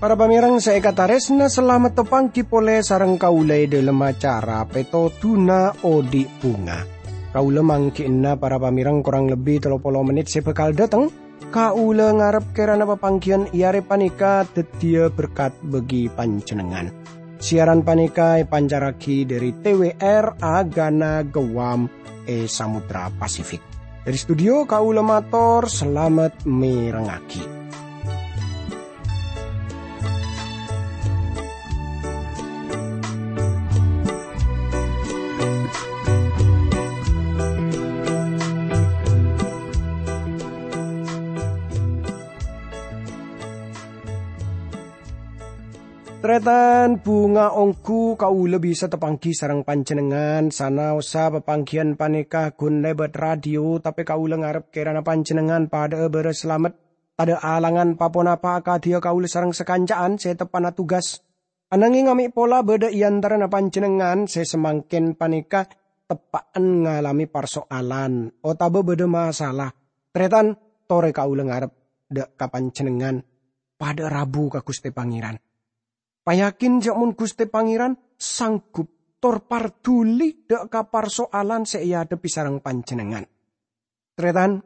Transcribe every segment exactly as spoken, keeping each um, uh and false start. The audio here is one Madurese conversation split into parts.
Para pamèrèng sè èkatarèsna, salamet tapangghi polè sareng kaulâ è dhâlem acara Pètodhuna Odi' Bhunga. Kaulâ mangghi'na para pamèrèng korang lebbi tello polo mennit sè bhâkal dhâteng. Kaulâ ngarep kèrana papangghiyân è arè panèka dhâddhiyâ berkat bagi panjhennengngan. Siaran panèka èpancarraghi dhâri T W R Agana Guam è Samudra Pasifik. Dhâri studio kaulâ mator salamet mèrengngaghi. Tarètan, bhunga ongghu kaulâ bisa tapangghi sareng panjhennengngan, sanaossa papangghiyân panèka ghun lèbât radio, tapè kaulâ ngarep kèrana panjhennengngan padhâ'â bârâs salamet, tadâ' alangan pa-ponapa akadhiyâ kaulâ sareng sakanca'an sè teppa'na tugas. Ananghing amè' pola bâdâ è antarana panjhennengngan sè samangkèn panèka teppa'en ngalamè parso'alan otabâ bâdâ masalah. Tarètan, torè kaulâ ngarep dâ' ka panjhennengngan padhâ'â rabu ka Ghustè Pangèran. Payakin jhâ' mon Ghustè Pangèran sanggup tor parduli dâ' ka parso'alan sè èadhebbhi sareng panjhennengngan. Tarètan,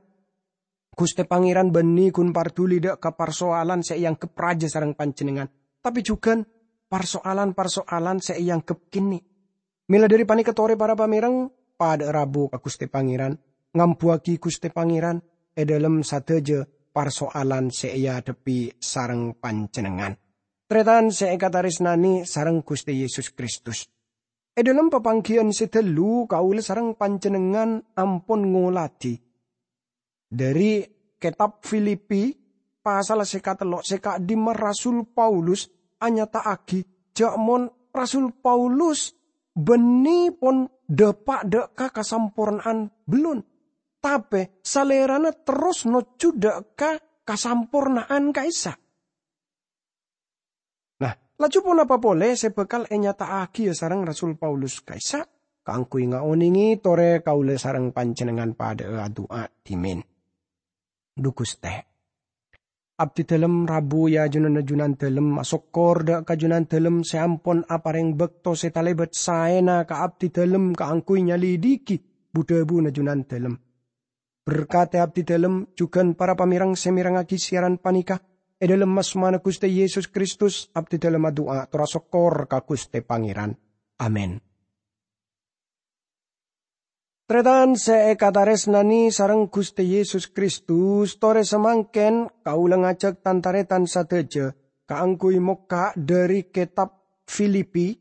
Ghustè Pangèran bânnè ghun parduli dâ' ka parso'alan sè èangghep rajâ sareng panjhennengngan, tapè jhughân parso'alan-parso'alan sè èangghep kènè'. Mèla dhâri panèka torè para pamèrèng, padhâ'â rabu ka Ghustè Pangèran, ngambuwâghi Ghustè Pangèran è dhâlem sadhâjâ parso'alan sè èadhebbhi sareng panjhennengngan. Tarètan sè èkatarèsnanè sareng Ghustè Yesus Kristus. È dhâlem papangghiyân sè ghâllu, kaulâ sareng panjhennengngan ampon ngolatè. Dhâri kètab Filipi, pasal sè katello' sè ka'dimma Rasul Paulus anyata'aghi jhâ' mon Rasul Paulus bânnè pon dâpa' dâ' ka kasamporna'an bellun, tapè salèrana terros nojjhu dâ' ka kasamporna'an ka'issa'. Nah, laju ponapa polè sè bhâkal ènyata'aghiyâ sareng Rasul Paulus ka'issa'? Kaangghuy ngaonèngè torè kaulâ sareng panjhennengngan padhâ'â adu'a dhimèn. Dhu Ghustè, abdhidhâlem rabu è ajunanna Junandhâlem asokkor dâ' ka Junandhâlem sè ampon aparèng bâkto sè talèbât saèna ka abdhidhâlem kaangghuy nyalidhighi bu-dhâbuna Junandhâlem. Berkadhi abdhidhâlem jhughân para pamèrèng sè mèrengngaghi siaran panèka. È dhâlem asmana Ghustè Yesus Kristus, abdhidhâlem adu'a tor asokkor ka Ghustè Pangèran. Amin. Tarètan sè èkatarèsnanè sareng Ghustè Yesus Kristus, torè samangkèn kaulâ ngajhâk tan-tarètan sadhâjâ kaangghuy mokka' dhâri kètab Filipi,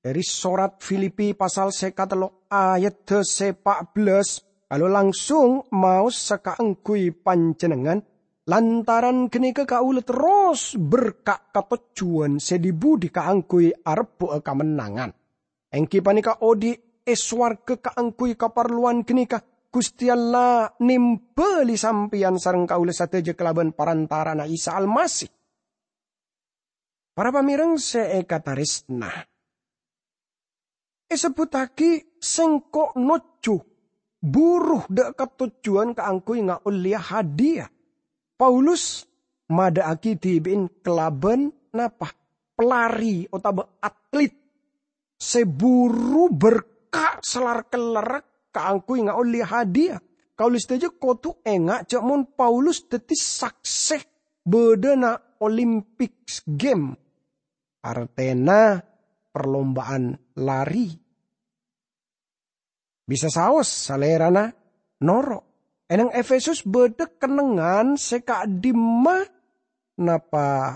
dhâri sorat Filipi pasal sè katello' ayadda sè pa' bellâs, kaulâ langsung maos sakaangghuy panjhennengngan, lantaran ghânèka kaulâ terros berka' katojjhuwân sè dhi-budhi kaangghuy arebbhu'â kamennangan. Èngghi panèka odi' è sowarghâ kaangghuy kaparlowan ghânèka, Ghustè Allah nèmbâli sampèyan sareng kaulâ sadhâjâ kalabân parantara'anna Isa Almasih. Para pamèrèng sè èkatarèsna, èsebbhuttaghi sèngko' nojjhu buru dâ' katojjhuwân kaangghuy ngaollèya hadiya. Paulus madâ'aghi dhibi'en kalabân napa? Pelari otabâ atlet sè buru berka' salar-kellarra kaangghuy ngaollè hadiya. Kaulâ sadhâjâ kodhu enga' jhâ' mon Paulus dhâddhi saksè bâdâna Olympic Game, artèna perlombaan lari. Bisa saos salèrana noro'. È neng Efesus bâdâ kennengngan sè ka'dimma napa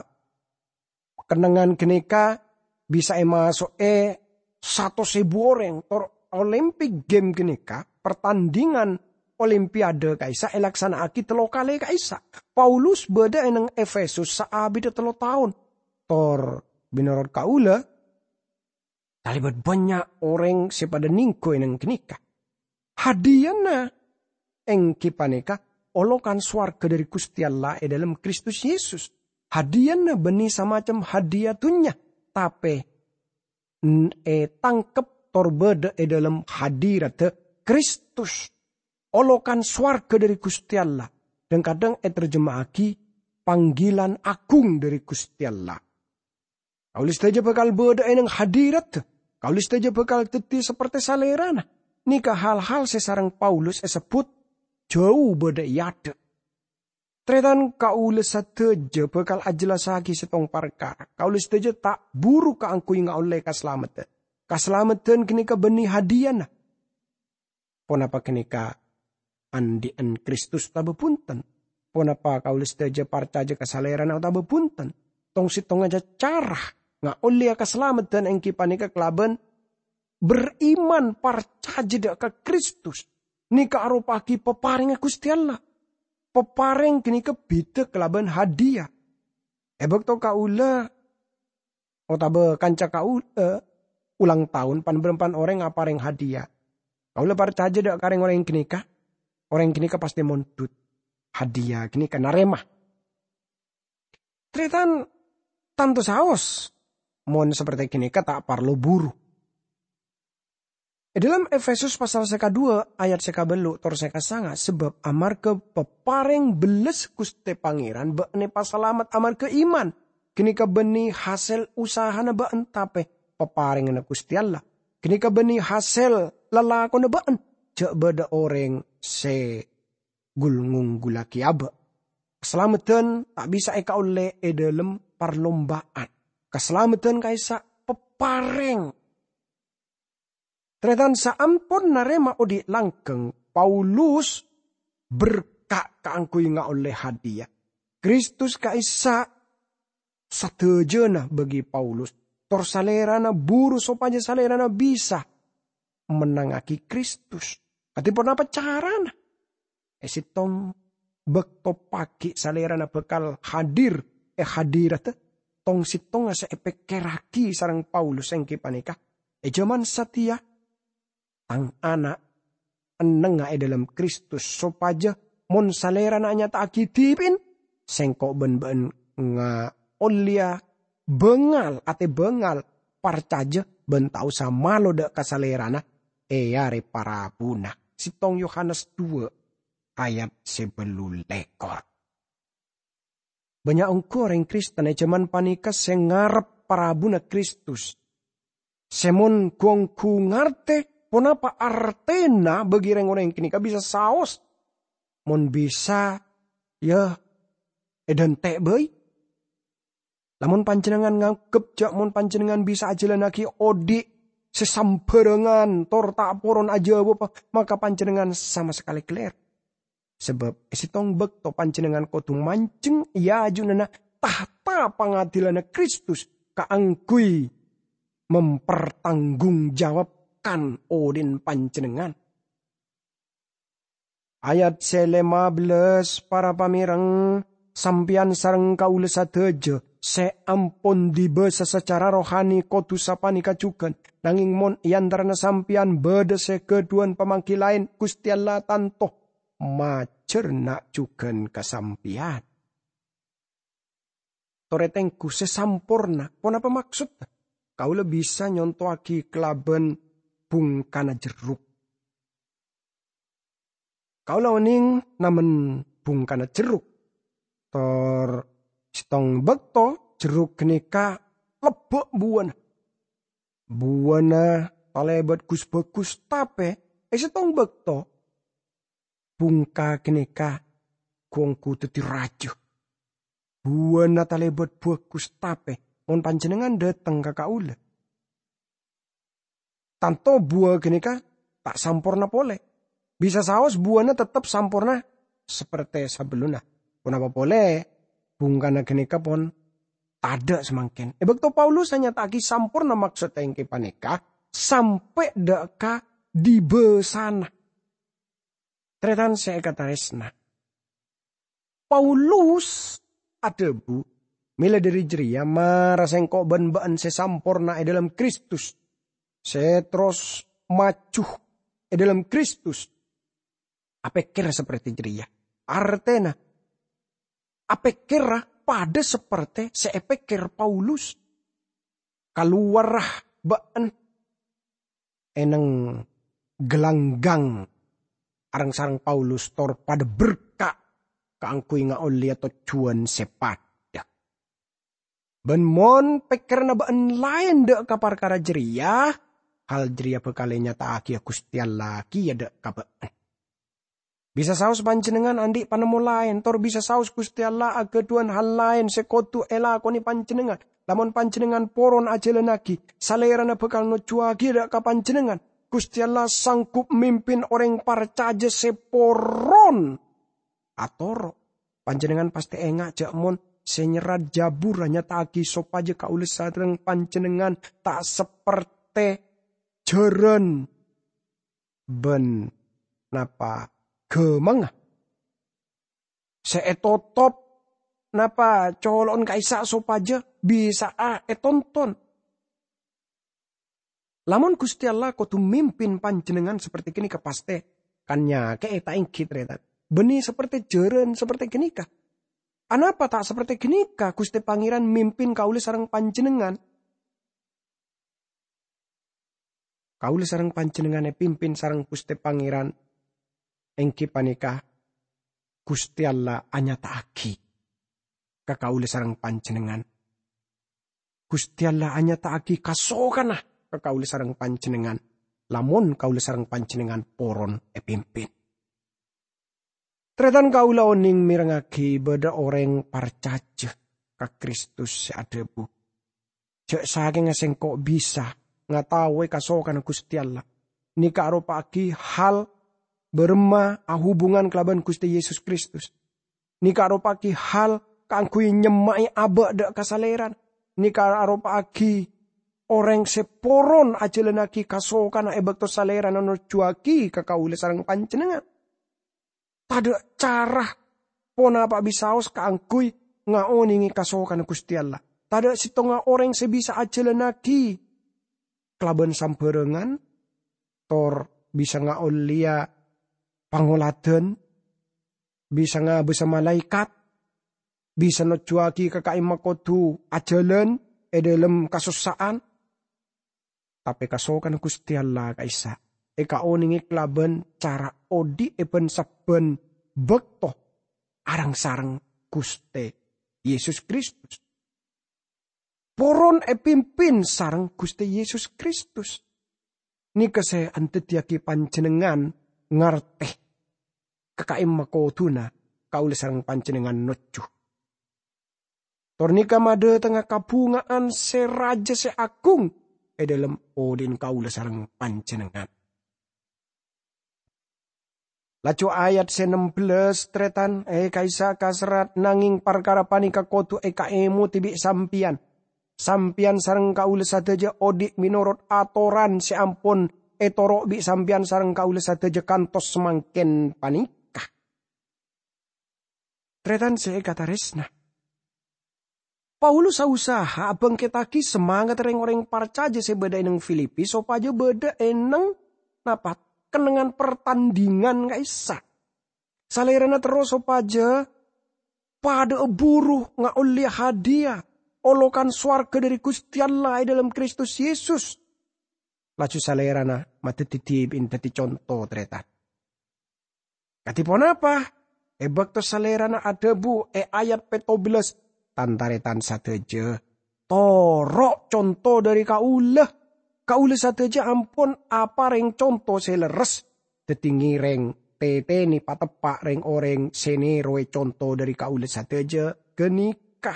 kennengngan ghânèka bisa èmaso'è satos èbu orèng, tor Olympic Game ghânèka, pertandingan Olimpiade ka'issa' èlaksana'aghi tello kalè ka'issa'. Paulus bâdâ è neng Efesus saabidda tello taon. Tor, mènorot kaulâ, talèbât bânnya' orèng sè padâ nèngghu è neng ghânèka. Hadiyana èngghi panèka olokan sowarghâ dhâri Ghustè Allah è dhâlem Kristus Yesus. Hadiyana bânnè samacem hadiya dhunnya, tapè n-, ètangkep tor bâdâ è dâlem hadiratta Kristus. Olokan sowarghâ dâri Ghustè Allah, dhâng-kadhâng ètarjema'aghi panggilan aghung dâri Ghustè Allah. Kaulâ sadhâjâ bhâkal bâdâ è nèng hadiratta. Kaulâ sadhâjâ bhâkal dhâddhi sapertè Salèrana. Nèka hal-hal sè sareng Paulus èsebbhut jhâu bâdâ è adâ'. Tarètan, kaulâ sadhâjâ bhâkal ajhellassaghi sèttong parkara. Kaulâ sadhâjâ ta' buru kaangghuy ngaollè kasalameddhân. Kasalameddhân ghânèka bânnè hadiyana. Ponapa ghânèka andhi'ân Kristus otabâ bhunten? Ponapa kaulâ sadhâjâ parcajâ ka Salèrana otabâ bhunten? Tong-settongnga ca-, cara ngaollèya kasalameddhân èngghi panèka kalabân beriman, parcajâ dâ' ka Kristus. Nèka aropa'aghi paparèngnga Ghustè Allah. Paparèng ghânèka bhidhâ kalabân hadiya. È bâkto kaulâ otabâ kanca kaulâ ulang taon, pan-bârâmpan orèng aparèng hadiya. Kaulâ parcajâ dâ' ka rèng-orèng ghânèka, orèng ghânèka pastè mondhut. Hadiya ghânèka narèma. Tarètan, tanto saos, mon sapertè ghânèka ta' parlo buru. È dâlem Efesus pasal sè kadhuwâ ayat sè kabâllu' tor sè kasanga', sabâb amarghâ paparèng bellas Ghustè Pangèran bâ'na èpasalamet amarghâ iman. Ghânèka bânnè hasèl usahana bâ'na, tapè paparènganna Ghustè Allah. Ghânèka bânnè hasèl lalakonna bâ'na, jhâ' bâdâ orèng sè ghul-ngongghullaghi abâ'. Kasalameddhân ta' bisa èkaollè è dâlem parlomba'an. Kasalameddhân ka'issa' paparèng. Tarètan, saampon narèma odi' langghâng, Paulus berka' kaangghuy ngaollè hadiya. Kristus ka'issa' sadhâjâna bagi Paulus, tor salèrana buru sopajâ salèrana bisa mennangngaghi Kristus. Kadhi ponapa carana? È sèttong bâkto paghi' salèrana bhâkal hadir è hadiratta, tong-sèttongnga sè èpèkkèrraghi sareng Paulus èngghi panèka, è jhâman satèya, tang ana' ennengnga è dâlem Kristus, sopajâ mon salèrana anyata'aghi dhibi'na, sèngko' bân bâ'na ngaollèya bângal, atè bângal, parcajâ bân ta' osa malo dâ' ka salèrana è arè parabuna. Sèttong Yohanes dua ayat sè bâllu lèkor. Bânnya' ongghu orèng Kristen è jhâman panèka sè ngarep parabuna Kristus. Sè mon ghu-ongghu ngartè ponapa artèna bagi rèng-orèng ghânèka bisa saos. Mon bisa, yâ, èdhânte' bhâi. Lamon panjhennengngan nganggep jhâ' mon panjhennengngan bisa ajhâlannaghi odi' sè sambhârângan tor ta' poron ajâwâb, maka panjhennengngan sama sakalè ghellèr. Sabâb è sèttong bâkto panjhennengngan kodhu manjheng è ajunanna tahta pangadilanna Kristus kaangghuy mempertanggung jawabkan odi'na panjhennengngan. Ayat sè lèma bellâs, para pamèreng, sampèyan sareng kaulâ sadhâjâ sè ampon dibâsa sacara rohani kodhu sapanèka jhughân, nangèng mon è antarana sampèyan bâdâ sè ghâdhuwân pamangghi laèn, Ghustè Allah tanto majâr na'-jhughân ka sampèyan. Torè tengghu sè samporna, ponapa maksodda? Kaulâ bisa nyontowaghi kalabân bungkana jerruk. Kaulâ onèng namen bungkana jerruk. Tor sèttong bâkto jerruk ghânèka lebbâ' buwâna. Buwâna talèbât gus-bhâgus, tapè è sèttong bâkto bungka ghânèka ghu-ongghu dhâddhi rajâ. Buwâna talèbât bhâgus, tapè mon panjhennengngan dâteng ka kaulâ, tanto buwâ ghânèka ta' samporna polè. Bisa saos buwâna teptep samporna sapertè sabellunna. Ponapa polè, bungkana ghânèka pon tadâ' samangkèn. È bâkto Paulus anyata'aghi samporna maksodda èngghi panèka sampè' dâ' ka dibâsana. Tarètan sè èkatarèsna, Paulus adhâbu, "Mèla dhâri jârèya, mara sèngko' bân bâ'na sè samporna è dâlem Kristus, sè terros maju è dâlem Kristus." Apèkkèra sapertè jârèya. Artèna, apèkkèra padâ sapertè sè èpèkkèr Paulus. kalowarra bâ'na eneng galanggang areng-sareng Paulus tor padâ berka' kaangghuy ngaollèya tojjhuwân sè padâ. Bân mon pèkkèranna bâ'na laèn dâ' ka parkara jârèya, hal jârèya bhâkal ènyata'aghiyâ Ghustè Allah kèya dâ' ka bâ'na. Bisa saos panjhennengngan andi' panemmo laèn, tor bisa saos Ghustè Allah aghâdhuwân hal laèn sè kodhu èlakonè panjhennengngan. Lamon panjhennengngan poron ajhâlânnaghi, Salèrana bhâkal nojjhuwaghi dâ' ka panjhennengngan. Ghustè Allah sanggup mimpin orèng parcajâ sè poron atoro'. Panjhennengngan pastè enga' jâ' mon sè nyerrat Jabur anyata'aghi sopajâ kaulâ sareng panjhennengngan ta' sapertè jhârân bân napa ghâmangnga sè ètotop napa colo'na ka'issa' sopajâ bisa'a ètonton. Lamon Ghustè Allah kodhu mimpin panjhennengngan sapertè ghânèka, pastè kan nyakè'è, ta' èngghi, tarètan? Bânnè sapertè jhârân sapertè ghânèka. Anapa ta' sapertè ghânèka Ghustè Pangèran mimpin kaulâ sareng panjhennengngan? Kaulâ sareng panjhennengngan èpimpin sareng Ghustè Pangèran, èngghi panèka Ghustè Allah anyata'aghi ka kaulâ sareng panjhennengngan. Ghustè Allah anyata'aghi kasokanna ka kaulâ sareng panjhennengngan, lamon kaulâ sareng panjhennengngan poron èpimpin. Tarètan, kaulâ onèng mèrengngaghi bâdâ orèng parcajâ ka Kristus sè adhâbu, "Jâ' sakènga sèngko' bisa ngataowè kasokanna Ghustè Allah, nèka aropa'aghi hal bârâmma ahubungan kalabân Ghustè Yesus Kristus. Nèka aropa'aghi hal kaangghuy nyemma'è abâ' dâ' ka Salèrana. Nèka aropa'aghi orèng sè poron ajhâlânnaghi kasokanna è bâkto Salèrana nojjhuwaghi ka kaulâ sareng panjhennengngan." Tadâ' cara ponapa'a bisaos kaangghuy ngaonèngè kasokanna Ghustè Allah. Tadâ' sèttonga orèng sè bisa ajhâlânnaghi kalabân sambhârângan, tor bisa ngaollèya pangoladan, bisa ngabâsa malaèkat, bisa nojjhuwaghi ka ka'imma kodhu ajhâlân è dhâlem kasossa'an. Tapè kasokanna Ghustè Allah ka'issa' èkaonèngè kalabân cara odi' è bân-sabbhân bâkto areng-sareng Ghustè Yesus Kristus. Poron èpimpin sareng Ghustè Yesus Kristus. Nèka sè andaddiyâghi panjhennengngan ngartè ka ka'imma kodhuna kaulâ sareng panjhennengngan nojjhu. Tor nèka madâtengnga kabhunga'an sè rajâ sè agung è dhâlem odi'na kaulâ sareng panjhennengngan. Laju ayat sè nem bellâs, tarètan, è ka'issa' kaserrat, nangèng parkara panèka kodhu èkaèmodhi bi' sampèyan. Sampèyan sareng kaulâ sadhâjâ odi' mènorot atoran sè ampon ètoro' bi' sampèyan sareng kaulâ sadhâjâ kantos samangkèn panèka. Tarètan sè èkatarèsna, Paulus ausaha abhângkettaghi samangatta rèng-orèng parcajâ sè bâdâ è neng Filipi sopajâ bâdâ è neng, napa, kennengngan partandhingan ka'issa'. Salèrana terro sopajâ padâ'â buru ngaollèya hadiya olokan sowarghâ dhâri Ghustè Allah è dhâlem Kristus Yesus. Laju Salèrana madhâddhi dhibi'na dhâddhi conto, tarètan. Kadhi ponapa? È bâkto Salèrana adhâbu è ayat pètto bellâs, "Tan-tarètan sadhâjâ, toro' conto dhâri kaulâ. Kaulâ sadhâjâ ampon aparèng conto sè lerres, dhâddhi ngèrèng, tètènè, pateppa' rèng-orèng sè nèrowè conto dhâri kaulâ sadhâjâ ghânèka."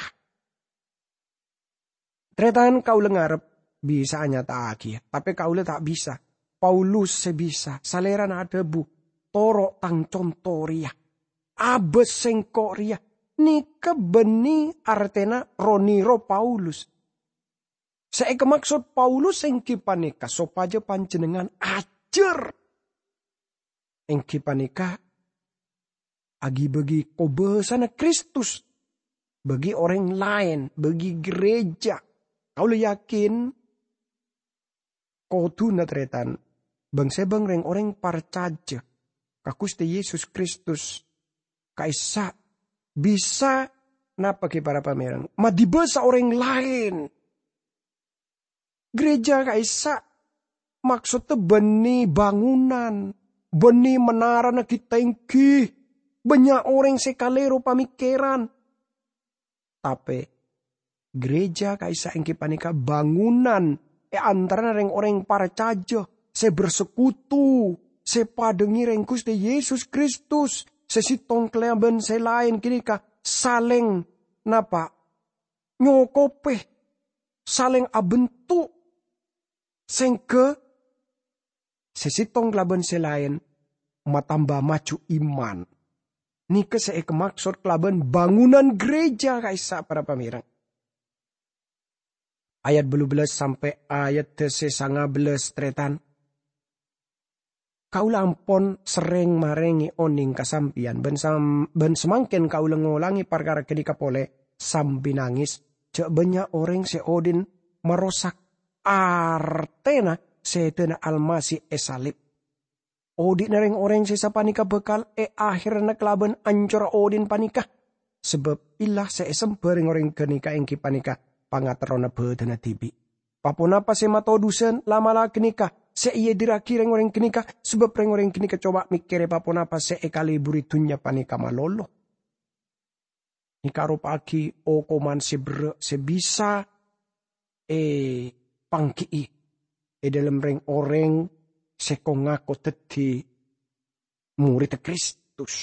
Tarètan, kaulâ ngarep bisa anyata'aghiyâ, tapè kaulâ ta' bisa. Paulus sè bisa. Salèrana adhâbu, "Toro' tang conto rèya. Abâs sèngko' rèya." Nèka bânnè artèna ro-nèro Paulus. Sè èkamaksod Paulus èngghi panèka sopajâ panjhennengngan ajhâr. Èngghi panèka, aghibâghi kobâsana Kristus bagi orèng laèn, bagi ghârèjâ. Kaulâ yakin, kodhuna tarètan, bâng-sèbâng rèng-orèng parcajâ ka Ghustè Yesus Kristus ka'issa' bisa, napa ghi para pamèreng, madhibâsa orèng laèn. Gereja ka'issa' maksodda bânnè bangunan, bânnè menarana ghi' tèngghi, bânnya' orèng sè kalèro pamèkkèran. Tapè, gereja ka'issa' èngghi panèka bangunan è antarana rèng-orèng parcajâ sè bersekutu, sè padâ ngèrèng Ghustè Yesus Kristus, sè sèttong kalabân sè laèn ghânèka salèng napa? Nyokobhi, salèng abentuk, sèngghâ sè sèttong kalabân sè laèn matamba maju iman. Nèka sè èkamaksod kalabân bangunan gereja ka'issa' para pamèreng. Ayat bâllu bellâs sampè' ayat sè sanga bellâs, tarètan. Kaulâ ampon serrèng marèngè onèng ka sampèyan, bân sam-, bân samangkèn kaulâ ngolangè parkara ghânèka polè sambi nangès, jâ' bânnya' orèng sè odi'na marosak artèna sèdhâna Almasih èsalib. Odi'na rèng-orèng sè sapanèka bhâkal èahèrana kalabân ancorra odi'na panèka, sabâb ella sè èsemba rèng-orèng ghânèka èngghi panèka pangaterrona bhâdhânna dhibi'. Pa-ponapa sè matodusân la'-mala' ghânèka sè èadirraghi rèng-orèng ghânèka, sabâb rèng-orèng ghânèka coba mèkkèrè pa-ponapa sè èkalèburi dhunnya panèka malolo. Nèka aropa'aghi okoman sè berrâ' sè bisa èpanggi'i è dhâlem rèng-orèng sè ko-ngako dhâddhi morèdda Kristus.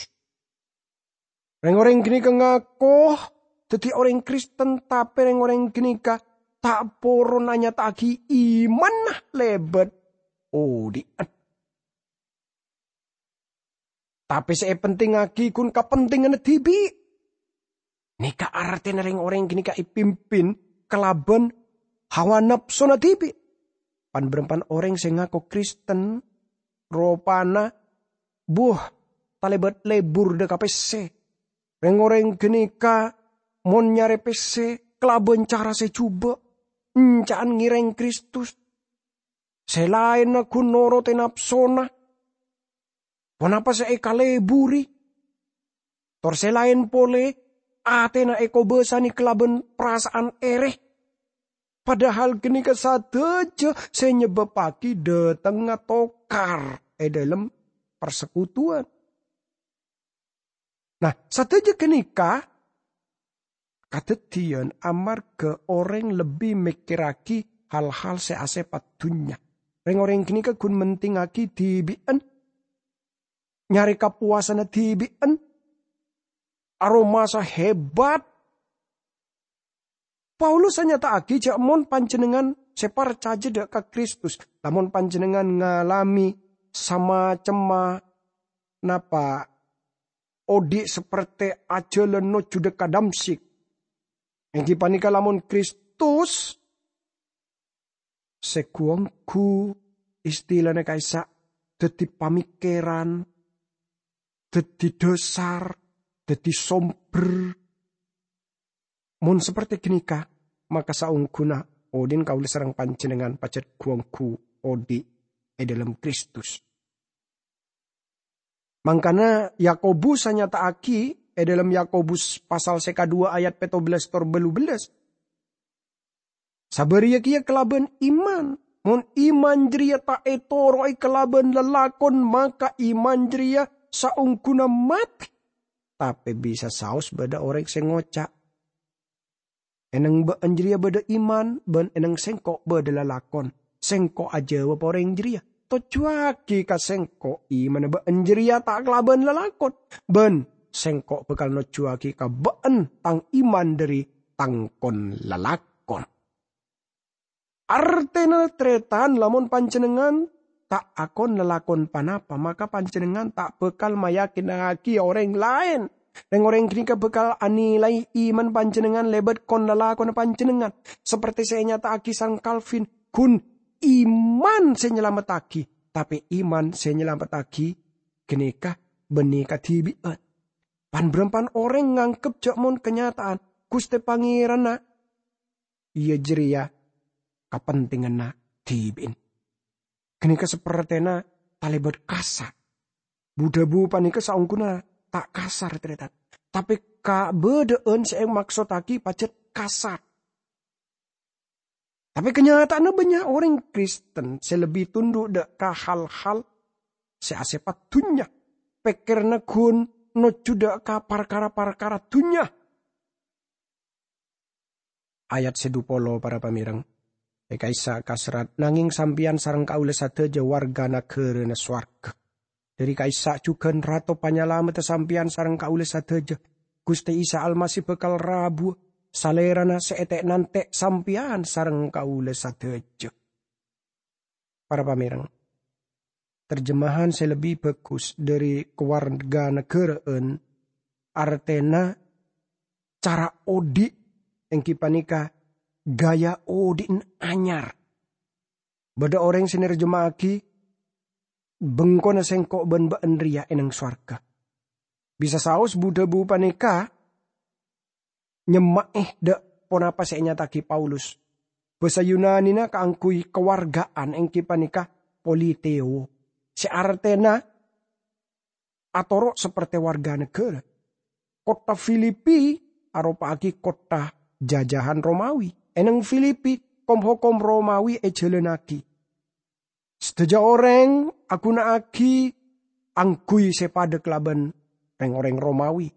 Rèng-orèng ghânèka ngako dhâddhi orèng Kristen, tapè rèng-orèng ghânèka ta' poron anyata'aghi imanna lèbât odi'an. Tapè sè èpentèngngaghi ghun kapentènganna dhibi'. Nèka artèna rèng-orèng ghânèka èpimpin kalabân hawa napsona dhibi'. Pan-bârâmpan orèng sè ngako Kristen, ropana, buh, talèbât lebur dhâ' ka pèssè. Rèng-orèng ghânèka mon nyarè pèssè kalabân cara sè jhubâ', enca'an ngèrèng Kristus. Sè laènna ghun noro'è napsona. Ponapa sè èkaleburi? Tor sè laèn polè, atèna èkobâsanè kalabân parasa'an èrè. Padahal ghânèka sadhâjâ sè nyebâbbhâghi dhâtengnga tokar è dhâlem parsekutuwân. Nah, sadhâjâ ghânèka kadhâddhiyân amarghâ orèng lebbi mèkkèrraghi hal-hal sè asèpat dhunnya. Rèng-orèng ghânèka ghun mentèngngaghi dhibi'ân, nyarè kapowasanna dhibi'ân, aromasa hebat. Paulus anyata'aghi jâ' mon panjhennengngan sè parcajâ dhâ' ka Kristus, lamon panjhennengngan ngalamè samacemma napa odi' sapertè ajhâlân nojjhu dhâ' ka Damsyik, èngghi panèka lamon Kristus sè ghu-ongghu, istilana ka'issa' dhâddhi pamèkkèran, dhâddhi dhâsar, dhâddhi sombher. Mon sapertè ghânèka, maka saongghuna odi'na kaulâ sareng panjhennengngan pajhât ghu-ongghu odi' è dhâlem Kristus. Mangkana Yakobus anyata'aghi è dhâlem Yakobus pasal sè kaduwâ ayat pètto bellâs tor bâllu bellâs. Sabâriyâ kèya kalabân iman. Mon iman jârèya ta' ètoro'è kalabân lalakon, maka iman jârèya saongghuna matè. Tapè bisa saos bâdâ orèng sè ngoca', "È nèng bâ'ân jârèya bâdâ iman, bân è nèng sèngko' bâdâ lalakon." Sèngko' ajâwâb orèng jârèya, "Tojjhuwâghi ka sèngko' imanna bâ'ân jârèya ta' kalabân lalakon, bân sèngko' bhâkal nojjhuwâghi ka bâ'ân tang iman dhâri tang kon-lalakon." Artèna, tarètan, lamon panjhennengngan ta' akon lalakon ponapa, maka panjhennengngan ta' bhâkal mayakinaghi orèng laèn. Rèng-orèng ghânèka bhâkal anilai iman panjhennengngan lèbât kon-lalakonna panjhennengngan. Sapertè sè ènyata'aghi Sang Calvin, ghun iman sè nyalamettaghi, tapè iman sè nyalamettaghi ghânèka bânnè kadhibi'ân. Pan-bârâmpan orèng nganggep jâ' mon kanyata'an Ghustè Pangèranna iyâ jârèya kapentènganna dhibi'na. Ghânèka sapertèna talèbât kasa'. Bu-dhâbu panèka saongghuna ta' kasar, tarètan. Tapè kabâdâ'ân sè èmaksottaghi pajhât kasar. Tapè kanyata'anna bânnya' orèng Kristen sè lebbi tundhu' dâ' ka hal-hal sè asèpat dhunnya. Pèkkèranna ghun nojjhu dâ' ka parkara-parkara dhunnya. Ayat sè dhu polo, para pamèreng. È ka'issa' kaserrat, "Nangèng sampèyan sareng kaulâ sadhâjâ warga naghârâna sowarga. Dâri ka'issa' jhughân Rato Panyalameddhâ sampèyan sareng kaulâ sadhâjâ, Ghustè Isa Almasih bhâkal rabuwâ, Salèrana sè ètè'-nantè' sampèyan sareng kaulâ sadhâjâ." Para pamèreng, terjemahan sè lebbi bhâghus dâri kawarga naghârâ'ân, artèna cara odi', èngghi panèka gaya odi'na anyar. Bâdâ orèng sè nerjema'aghi, "Bengkona sèngko' bân bâ'ân rèya è neng sowarga." Bisa saos bu-dhâbu panèka nyemma'è dâ' ponapa sè ènyata'aghi Paulus. Bhâsa Yunanina kaangghuy kawarga'an èngghi panèka politeo, sè artèna atoro' sapertè warga naghârâ. Kottha Filipi aropa'aghi kottha jajahan Romawi. È neng Filipi, kom-hokom Romawi èjhâlânnaghi. Sadhâjâ orèng aghuna'aghi angghuy sè padâ kalabân rèng-orèng Romawi.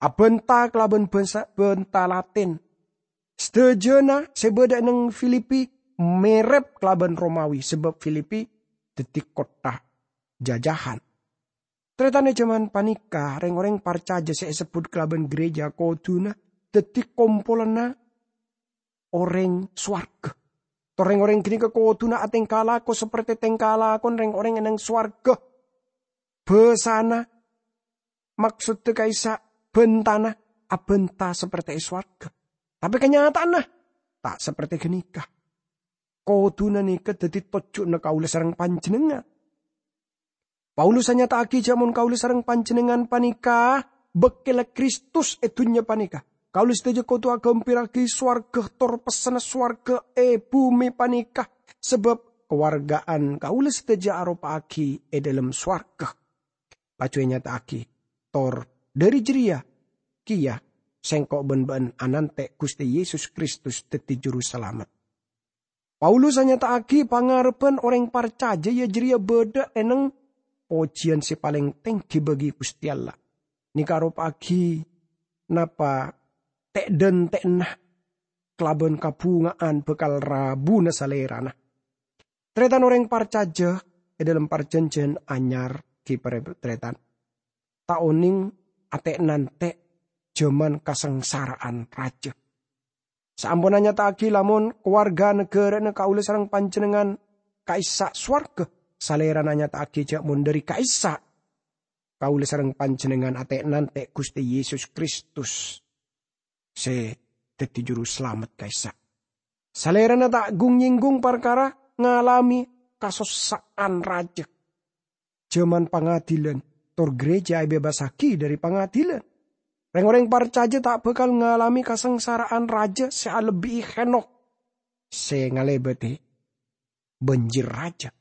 Abhânta kalabân bhâsa, bhânta Latin. Sadhâjâna sè bâdâ è neng Filipi mèrep kalabân Romawi, sabâb Filipi dhâddhi kottha jajahan. Tarètan, è jhâman panèka, rèng-orèng parcajâ sè èsebbhut kalabân ghârèjâ kodhuna dhâddhi kompolanna orèng sowarga. Tor rèng-orèng ghânèka kodhuna atèngka lako sapertè tèngka lakona rèng-orèng è neng sowarga. Bhâsana, maksoddhâ ka'issa' bhântana, abhânta sapertè è sowarga. Tapè kanyata'anna ta' sapertè ghânèka. Kodhuna nèka dhâddhi tojjhuna kaulâ sareng panjhennengngan. Paulus anyata'aghi jhâ' mon kaulâ sareng panjhennengngan panèka bâkkèlla Kristus è dhunnya panèka. Kaulâ sadhâjâ kodhu aghâmpèrraghi sowarga tor pessenna sowarga è bhumè panèka, sabâb kawarga'an kaulâ sadhâjâ aropa'aghi è dhâlem sowarga. Laju ènyata'aghi, tor dhâri jârèya kèya sèngko' bân bâ'ân anantè' Ghustè Yesus Kristus dhâddhi Jurusalamet. Paulus anyata'aghi pangarebbhân orèng parcajâ, yâ, jârèya bâdâ è neng pojiyân sè palèng tèngghi bagi Ghustè Allah. Nèka aropa'aghi napa tè'-dhântè'na kalabân kabhunga'an bhâkal rabuna Salèrana. Tarètan, orèng parcajâ è dhâlem Parjhânjhiyân Anyar, ghi' parè-, tarètan, ta' onèng atè'-nantè' jhâman kasangsara'an rajâ. Saamponna nyata'aghi lamon kawarga naghârâna kaulâ sareng panjhennengngan ka'issa' sowarga, Salèrana nyata'aghi jhâ' mon dhâri ka'issa' kaulâ sareng panjhennengngan atè'-nantè' Ghustè Yesus Kristus sè dhâddhi Jurusalamet ka'issa'. Salèrana ta' gung-nyènggung parkara ngalamè kasossa'an rajâ. Jhâman pangadilân, tor ghârèjâ èbebasaghi dhâri pangadilân. Rèng-orèng parcajâ ta' bhâkal ngalamè kasangsara'an rajâ sè alebbi'i Henokh sè ngalèbâdhi bânjir rajâ.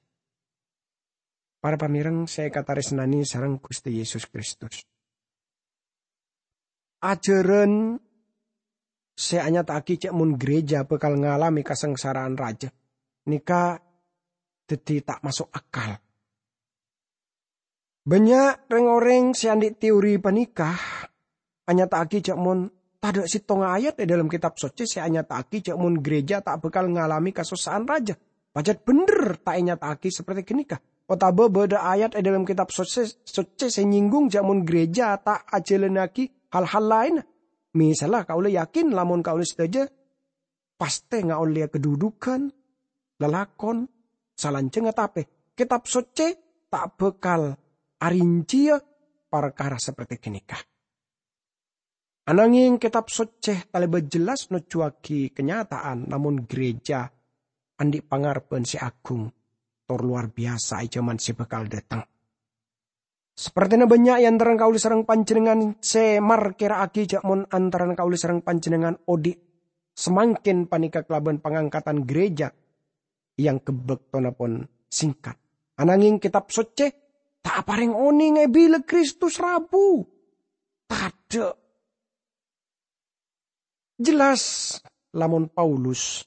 Para pamèreng sè èkatarèsnanè sareng Ghustè Yesus Kristus. Ajhârân sè anyata'aghi jhâ' mon ghârèjâ bhâkal ngalamè kasangsara'an rajâ nèka dhâddhi ta' maso' akal. Bânnya' rèng-orèng sè andi' teori panèka anyata'aghi jhâ' mon tadâ' sèttonga ayat è dhâlem Kètab Soccè sè anyata'aghi jhâ' mon ghârèjâ ta' bhâkal ngalamè kasossa'an rajâ. Pajhât bhender ta' ènyata'aghi sapertè ghânèka. Otabâ bâdâ ayat è dhâlem Kètab Soccè, Soccè sè nyènggung jhâ' mon ghârèjâ ta' ajhâlânnaghi hal-hal laènna. Misalla, kaulâ yakin lamon kaulâ sadhâjâ pastè ngaollèya kadhudhughân, lalakon, salanjhângnga, tapè Kètab Soccè ta' bhâkal arincèya parkara sapertè ghânèka. Ananghèng Kètab Soccè talèbât jelas nojjuwaghi kanyata'an, lamon ghârèjâ andi' pangarebbhân sè agung tor lowar biyasa è jhâman sè bhâkal dâteng. Sapertèna bânnya' è antarana kaulâ sareng panjhennengngan sè markèra'aghi jhâ' mon antarana kaulâ sareng panjhennengngan odi' samangkèn panèka kalabân pangangkatan ghârèjâ, èangghep bâktona pon sèngkat. Ananghèng Kètab Soccè ta' aparèng onènga bilâ Kristus rabu. Tadâ'. Jelas, lamon Paulus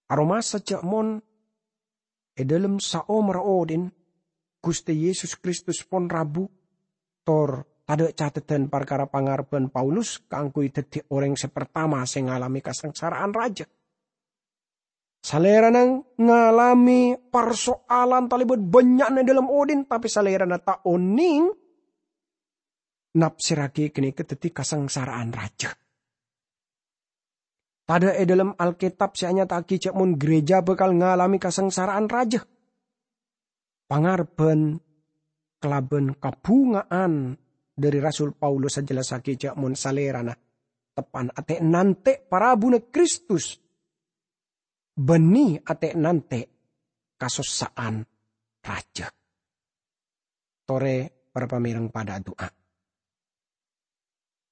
aromasa ja' mon e dhalem saomerra odhi'na Guste Yesus Kristus pon rabu, tor tadha' catetan parkara pangarebban Paulus kaangguy daddi oreng se partama se ngalame kasangsara'an raja. Salerana ngalame parsoalan talebat bannya'na e dhalem odhi'na, tape salerana ta' oneng napserragi ganeka daddi kasangsara'an raja. Tadha' e dhalem Alketab se anyata'agi ja' mon gereja bakal ngalame kasangsara'an raja. Pangarebban kalaban kabhunga'an dhari Rasul Paulus ajellasagi ja' mon salerana teppa'an ate' nante' parabuna Kristus, banne ate' nante' kasossa'an raja. Tore para pamereng padha adu'a.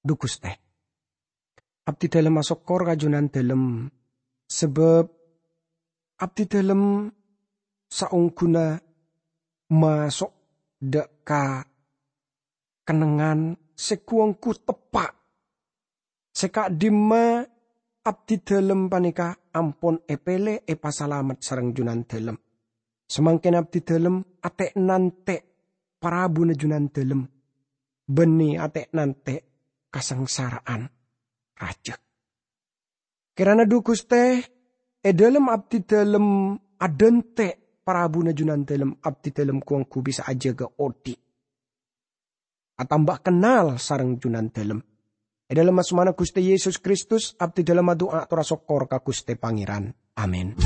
Dhu Guste, abdidalem asokkor ka Junandalem, sabab abdidalem saongguna maso' dha' ka kennengngan se gu-onggu teppa', se ka'dhimma abdidalem paneka ampon epele epasalamet sareng Junandalem. Samangken abdidalem ate' nante' parabuna Junandalem, banne ate' nante' kasangsara'an raja. Kerana dhu Guste, e dhalem abdidalem adante' parabuna Junandalem, abdidalem gu-onggu bisa ajaga odhi', atamba kennal sareng Junandalem. E dhalem asmana Guste Yesus Kristus, abdidalem adu'a tor asokkor ka Guste Pangeran. Amin.